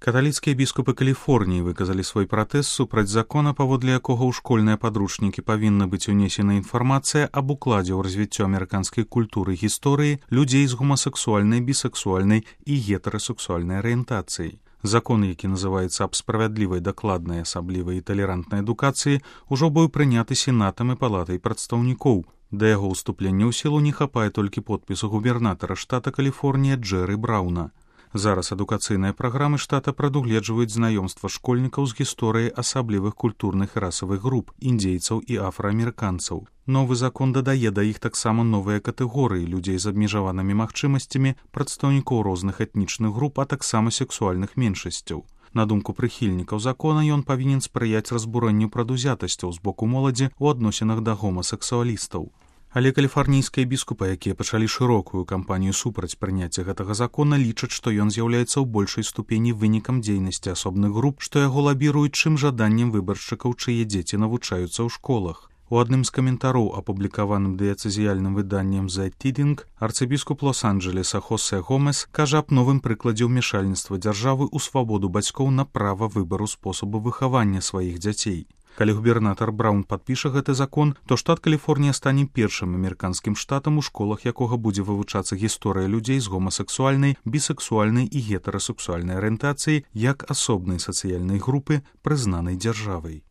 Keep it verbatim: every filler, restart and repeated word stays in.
Каталіцкія біскупы Каліфорніі выказалі свой пратэст супраць закона, паводле якога ў школьныя падручнікі павінна быць унесена інфармацыя аб укладзе ў развіццё амерыканскай культуры і гісторыі людзей з гомасексуальнай, бісексуальнай і гетэрасексуальнай арыентацыяй. Закон, які называецца «Аб справядлівай, дакладнай, асаблівай і талерантнай адукацыі», ужо быў прыняты сенатам і палатай прадстаўнікоў. Да яго ўступлення ў сілу не хапае толькі подпісу губернатара штата Каліфорнія Джэры Брауна. Зараз адукацыйныя праграмы штата прадугледжваюць знаёмства школьнікаў з гісторыяй асаблівых культурных і расавых груп, індзейцаў і афраамерыканцаў. Новы закон дадае да іх таксама новыя катэгорыі людзей з абмежаванымі магчымасцямі, прадстаўнікоў розных этнічных груп, а таксама сексуальных меншасцяў. На думку прыхільнікаў закона, ён павінен спрыяць разбурэнню прадузятасцяў з боку моладзі ў адносінах да гомасексуалістаў. Але каліфарнійскія біскупы, якія пачалі шырокую кампанію супраць прыняцця гэтага закона, лічаць, што ён з'яўляецца ў большай ступені вынікам дзейнасці асобных груп, што яго лабіруюць, чым жаданнем выбаршчыкаў, чые дзеці навучаюцца ў школах. У адным з каментароў, апублікаваным дыяцэзіяльным выданнем «The Tiding», арцыбіскуп Лос-Анджелеса Хосе Гомес кажа аб новым прыкладзе ўмешальніцтва дзяржавы ў свабоду бацькоў на права выбару спосабу выхавання сваіх дзяцей. Калі губернатар Браун падпіша гэты закон, то штат Каліфорнія стане першым амерыканскім штатам, у школах якога будзе вывучацца гісторыя людзей з гомасексуальнай, бісексуальнай і гетэрасексуальнай арыентацыяй як асобнай сацыяльнай групы, прызнанай дзяржавай.